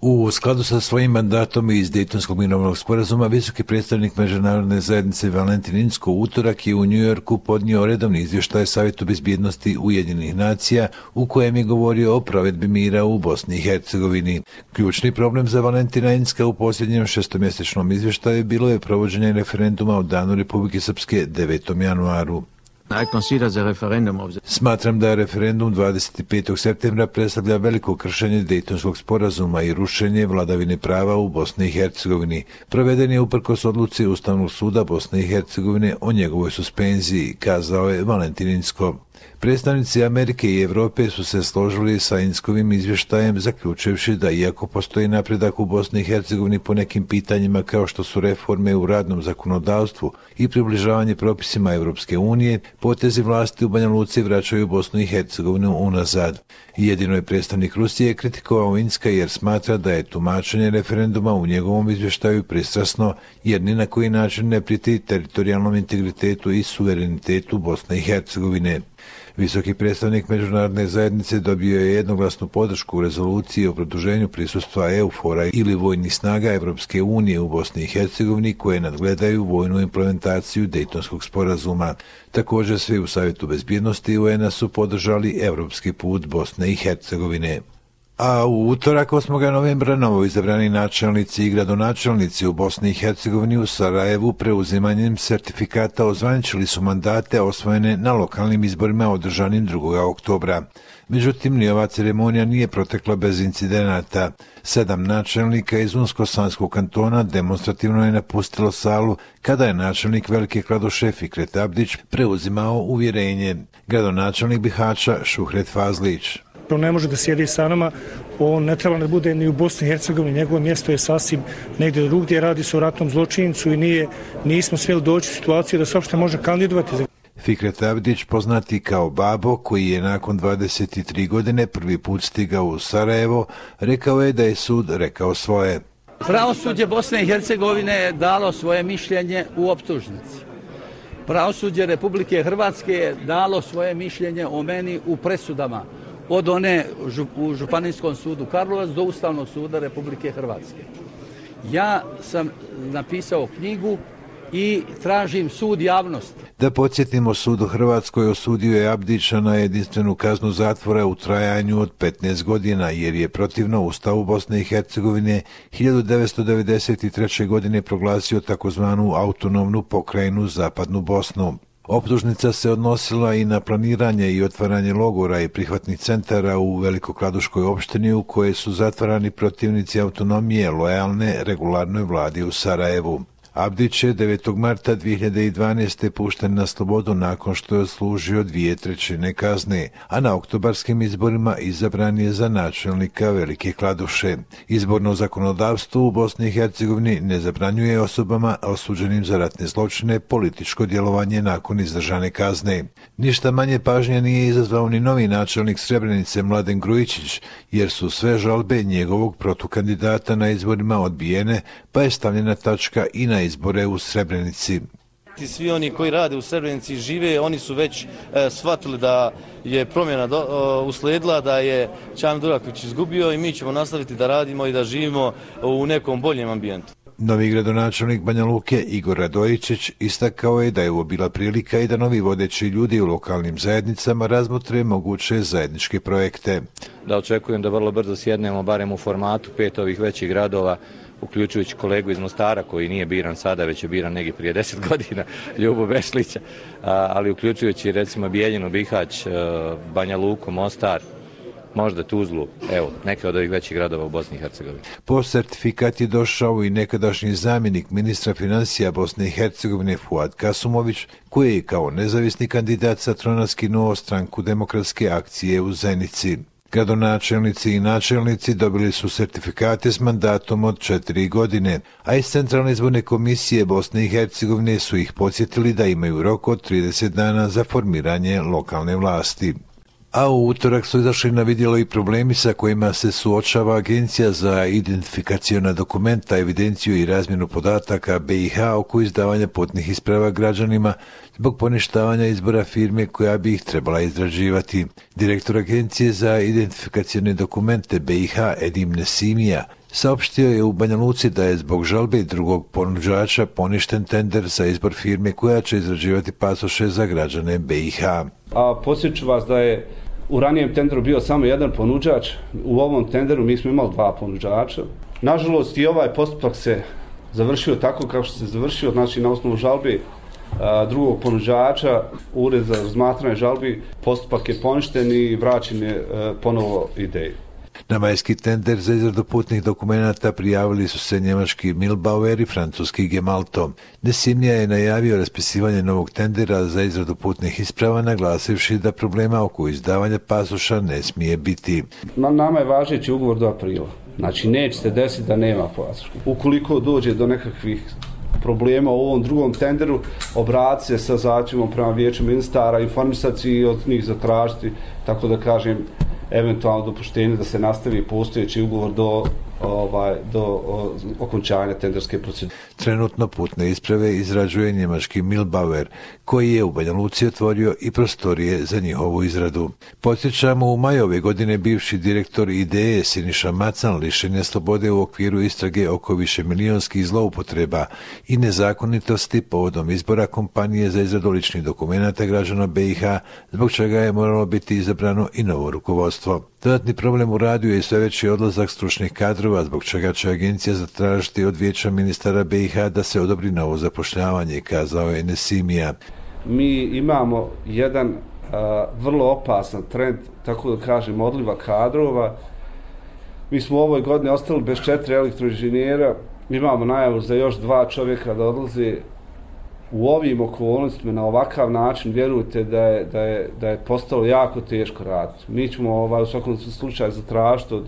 U skladu sa svojim mandatom iz Dejtonskog mirovnog sporazuma, visoki predstavnik međunarodne zajednice Valentin Inzko u utorak je u New Yorku podnio redovni izvještaj Savjetu bezbjednosti Ujedinjenih nacija u kojem je govorio o provedbi mira u Bosni i Hercegovini. Ključni problem za Valentina Inzka u posljednjem šestomjesečnom izvještaju bilo je provođenje referenduma o Danu Republike Srpske 9. januaru. Smatram da je referendum 25. septembra predstavlja veliko kršenje Dejtonskog sporazuma i rušenje vladavine prava u Bosni i Hercegovini. Proveden je uprkos odluci Ustavnog suda Bosne i Hercegovine o njegovoj suspenziji, kazao je Valentin Inzko. Predstavnici Amerike i Europe su se složili sa Inzkovim izvještajem, zaključivši da iako postoji napredak u Bosni i Hercegovini po nekim pitanjima kao što su reforme u radnom zakonodavstvu i približavanje propisima Europske unije, potezi vlasti u Banja Luci vraćaju Bosnu i Hercegovinu unazad. Jedino je predstavnik Rusije kritikovao Inzka jer smatra da je tumačenje referenduma u njegovom izvještaju pristrasno jer ni na koji način ne prijeti teritorijalnom integritetu i suverenitetu Bosne i Hercegovine. Visoki predstavnik međunarodne zajednice dobio je jednoglasnu podršku u rezoluciji o produženju prisustva EUFOR-a ili vojnih snaga Europske unije u Bosni i Hercegovini koje nadgledaju vojnu implementaciju Dejtonskog sporazuma. Također svi u Savjetu bezbjednosti UN-a su podržali europski put Bosne i Hercegovine. A u utorak 8. novembra novoizabrani načelnici i gradonačelnici u Bosni i Hercegovini u Sarajevu preuzimanjem sertifikata ozvaničili su mandate osvojene na lokalnim izborima održanim 2. oktobra. Međutim, ni ova ceremonija nije protekla bez incidenata. 7 načelnika iz Unsko-Sanskog kantona demonstrativno je napustilo salu kada je načelnik Velike Kladuše Fikret Abdić preuzimao uvjerenje. Gradonačelnik Bihaća Šuhret Fazlić. On ne može da sjedi sa nama, on ne treba da bude ni u Bosni i Hercegovini, njegovo mjesto je sasvim negdje drugdje, radi se o ratnom zločincu i nismo smjeli doći u situaciju da se uopšte može kandidovati. Fikret Abdić, poznati kao Babo, koji je nakon 23 godine prvi put stigao u Sarajevo, rekao je da je sud rekao svoje. Pravosuđe Bosne i Hercegovine je dalo svoje mišljenje u optužnici. Pravosuđe Republike Hrvatske je dalo svoje mišljenje o meni u presudama. Od one u Županijskom sudu Karlovac do Ustavnog suda Republike Hrvatske. Ja sam napisao knjigu i tražim sud javnosti. Da podsjetimo, sud u Hrvatskoj osudio je Abdića na jedinstvenu kaznu zatvora u trajanju od 15 godina jer je protivno Ustavu Bosne i Hercegovine 1993. godine proglasio takozvanu autonomnu pokrajinu Zapadnu Bosnu. Optužnica se odnosila i na planiranje i otvaranje logora i prihvatnih centara u Velikokladuškoj opštini u koje su zatvarani protivnici autonomije lojalne regularnoj vladi u Sarajevu. Abdić je 9. marta 2012. pušten na slobodu nakon što je odslužio 2/3 kazne, a na oktobarskim izborima izabran je za načelnika Velike Kladuše. Izborno zakonodavstvo u Bosni i Hercegovini ne zabranjuje osobama osuđenim za ratne zločine političko djelovanje nakon izdržane kazne. Ništa manje pažnje nije izazvao ni novi načelnik Srebrenice Mladen Grujičić, jer su sve žalbe njegovog protukandidata na izborima odbijene, pa je stavljena tačka i na izbore u Srebrenici. Svi oni koji rade u Srebrenici i žive, oni su već shvatili da je promjena usledila, da je Čan Duraković izgubio i mi ćemo nastaviti da radimo i da živimo u nekom boljem ambijentu. Novi gradonačelnik Banja Luke Igor Radojičić istakao je da je ovo bila prilika i da novi vodeći ljudi u lokalnim zajednicama razmotre moguće zajedničke projekte. Da očekujem da vrlo brzo sjednemo barem u formatu 5 ovih većih gradova, uključujući kolegu iz Mostara koji nije biran sada, već je biran negdje prije 10 godina, Ljubo Bešlića, ali uključujući recimo Bijeljinu, Bihać, Banja Luku, Mostar, možda Tuzlu, evo, neke od ovih većih gradova u Bosni i Hercegovini. Po sertifikat je došao i nekadašnji zamjenik ministra financija Bosne i Hercegovine Fuad Kasumović, koji je kao nezavisni kandidat sa trona skinuo stranku Demokratske akcije u Zenici. Gradonačelnici i načelnici dobili su sertifikate s mandatom od 4 godine, a iz Centralne izborne komisije Bosne i Hercegovine su ih podsjetili da imaju rok od 30 dana za formiranje lokalne vlasti. A u utorak su izašli na vidjelo i problemi sa kojima se suočava Agencija za identifikaciona dokumenta, evidenciju i razmjenu podataka BiH oko izdavanja putnih isprava građanima zbog poništavanja izbora firme koja bi ih trebala izrađivati. Direktor Agencije za identifikacione dokumente BiH Edim Nesimija saopštio je u Banja Luci da je zbog žalbe drugog ponuđača poništen tender za izbor firme koja će izrađivati pasoše za građane BiH. A podsjeću vas da je u ranijem tenderu bio samo jedan ponuđač, u ovom tenderu mi smo imali 2 ponuđača. Nažalost i ovaj postupak se završio tako kako se završio, znači na osnovu žalbe drugog ponuđača, ured za razmatranje žalbi, postupak je poništen i vraćen je ponovo ideju. Na majski tender za izradu putnih dokumenata prijavili su se njemački Milbauer i francuski Gemalto. Desimnija je najavio raspisivanje novog tendera za izradu putnih isprava, naglasivši da problema oko izdavanja pasoša ne smije biti. Nama je važeći ugovor do aprila. Znači neće se desiti da nema pasoša. Ukoliko dođe do nekakvih problema u ovom drugom tenderu, obratiti se sa zahtjevom prema vijeću ministara, informisati i od njih zatražiti, tako da kažem, eventualno dopuštenje da se nastavi postojeći ugovor do okončanja tenderske procedure. Trenutno putne isprave izrađuje njemački Milbauer, koji je u Banja Luci otvorio i prostorije za njihovu izradu. Podsjećamo, u maju ove godine bivši direktor IDE Siniša Macan lišen je slobode u okviru istrage oko višemilijonskih zloupotreba i nezakonitosti povodom izbora kompanije za izradu ličnih dokumenata građana BiH, zbog čega je moralo biti izabrano i novo rukovodstvo. Dodatni problem u radu je i sve veći odlazak stručnih kadrova, zbog čega će agencija zatražiti od vijeća ministara BiH da se odobri novo zapošljavanje, kazao je Nesimija. Mi imamo jedan vrlo opasan trend, tako da kažem, odliva kadrova. Mi smo u ovoj godini ostali bez 4 elektroinženjera, imamo najavu za još 2 čovjeka da odlaze. U ovim okolnostima na ovakav način vjerujte da je postalo jako teško raditi. Mi ćemo u svakom slučaju zatražiti od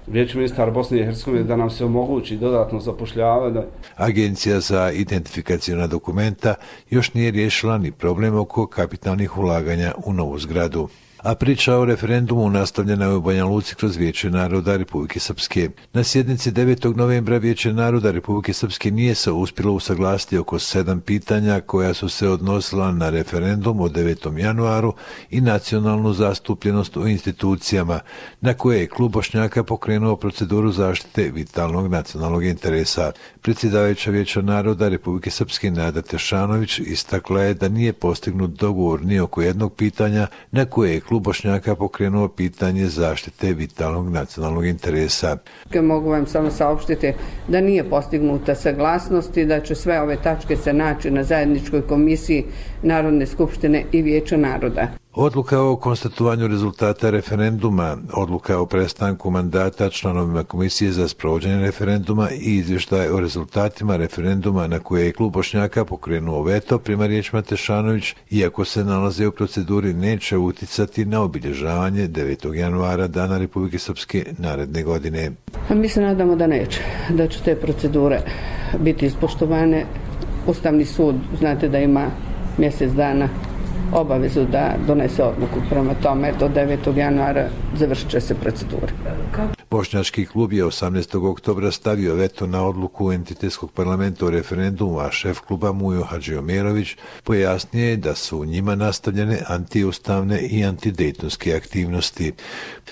vijeća ministara Bosne i Hercegovine da nam se omogući dodatno zapošljavanje. Agencija za identifikaciona dokumenta još nije riješila ni problem oko kapitalnih ulaganja u novu zgradu. A priča o referendumu nastavljena je u Banja Luci kroz Vijeće naroda Republike Srpske. Na sjednici 9. novembra Vijeće naroda Republike Srpske nije se uspjelo usaglasiti oko 7 pitanja koja su se odnosila na referendum od 9. januaru i nacionalnu zastupljenost u institucijama, na koje je klub Bošnjaka pokrenuo proceduru zaštite vitalnog nacionalnog interesa. Predsjedavajuća Vijeća naroda Republike Srpske Nada Tešanović istakla je da nije postignut dogovor ni oko jednog pitanja na koje je klub Bošnjaka pokrenuo pitanje zaštite vitalnog nacionalnog interesa. Mogu vam samo saopštiti da nije postignuta saglasnost i da će sve ove tačke se naći na zajedničkoj komisiji Narodne skupštine i Vijeća naroda. Odluka o konstatovanju rezultata referenduma, odluka o prestanku mandata članovima Komisije za sprovođenje referenduma i izvještaj o rezultatima referenduma na koje je klub Bošnjaka pokrenuo veto, prema riječima Tešanović, iako se nalaze u proceduri, neće uticati na obilježavanje 9. januara Dana Republike Srpske naredne godine. Mi se nadamo da neće, da će te procedure biti ispoštovane. Ustavni sud, znate da ima mjesec dana obavezu da donese odluku, prema tome do 9. januara završit će se procedura. Bošnjački klub je 18. oktobra stavio veto na odluku Entitetskog parlamenta o referendumu, a šef kluba Mujo Hadžiomerović pojasnio je da su u njima nastavljene antiustavne i antidejtonske aktivnosti.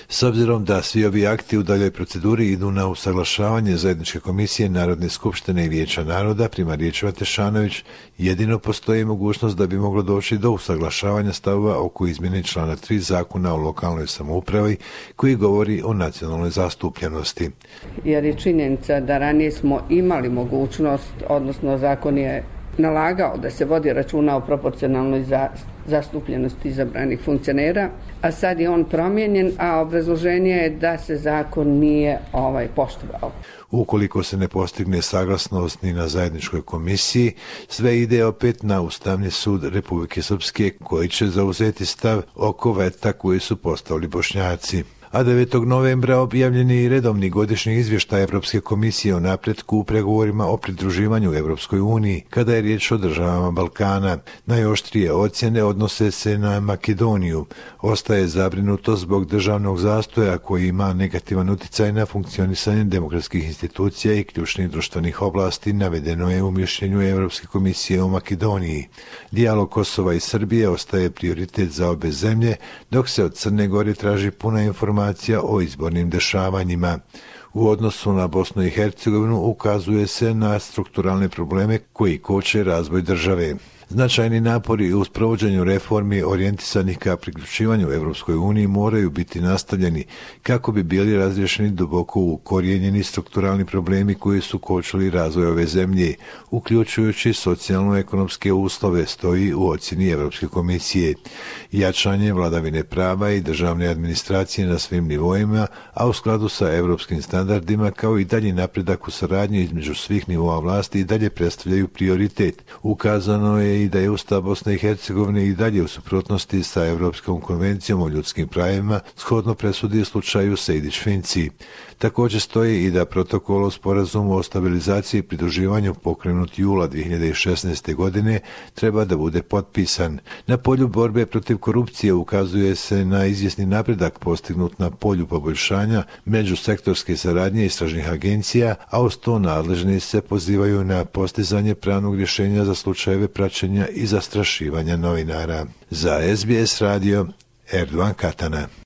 S obzirom da svi ovi akti u daljoj proceduri idu na usaglašavanje zajedničke komisije Narodne skupštine i Vijeća naroda, prema riječima Tešanović, jedino postoji mogućnost da bi moglo doći do usaglašavanja stavova oko izmjene člana 3 Zakona o lokalnoj samoupravi koji govori o nacionalnoj zastupljenosti. Jer je činjenica da ranije smo imali mogućnost, odnosno zakon je nalagao da se vodi računa o proporcionalnoj zastupljenosti izabranih funkcionera, a sad je on promijenjen, a obrazloženje je da se zakon nije poštovao. Ukoliko se ne postigne saglasnost ni na zajedničkoj komisiji, sve ide opet na Ustavni sud Republike Srpske, koji će zauzeti stav oko veta koji su postavili Bošnjaci. A 9. novembra objavljen je i redovni godišnji izvještaj Evropske komisije o napretku u pregovorima o pridruživanju Evropskoj uniji, kada je riječ o državama Balkana. Najoštrije ocjene odnose se na Makedoniju. Ostaje zabrinuto zbog državnog zastoja koji ima negativan utjecaj na funkcionisanje demokratskih institucija i ključnih društvenih oblasti, navedeno je u mišljenju Evropske komisije o Makedoniji. Dijalog Kosova i Srbije ostaje prioritet za obe zemlje, dok se od Crne Gore traži puna informacija o izbornim dešavanjima. U odnosu na Bosnu i Hercegovinu ukazuje se na strukturalne probleme koji koče razvoj države. Značajni napori u sprovođenju reformi orijentisanih ka priključivanju Europskoj uniji moraju biti nastavljeni kako bi bili razriješeni duboko ukorijenjeni strukturalni problemi koji su kočili razvoj ove zemlje, uključujući socijalno-ekonomske uslove, stoji u ocjeni Europske komisije. Jačanje vladavine prava i državne administracije na svim nivoima, a u skladu sa europskim standardima, kao i dalji napredak u saradnji između svih nivoa vlasti i dalje predstavljaju prioritet. Ukazano je i da je Ustav Bosne i Hercegovine i dalje u suprotnosti sa Europskom konvencijom o ljudskim pravima, shodno presudi u slučaju Sejdić-Finci. Također stoji i da protokol o sporazumu o stabilizaciji i pridruživanju pokrenut jula 2016. godine treba da bude potpisan. Na polju borbe protiv korupcije ukazuje se na izvjesni napredak postignut na polju poboljšanja međusektorske saradnje istražnih agencija, a uz to nadležni se pozivaju na postizanje pravnog rješenja za slučajeve praćenja i zastrašivanja novinara. Za SBS radio, Erdogan Katana.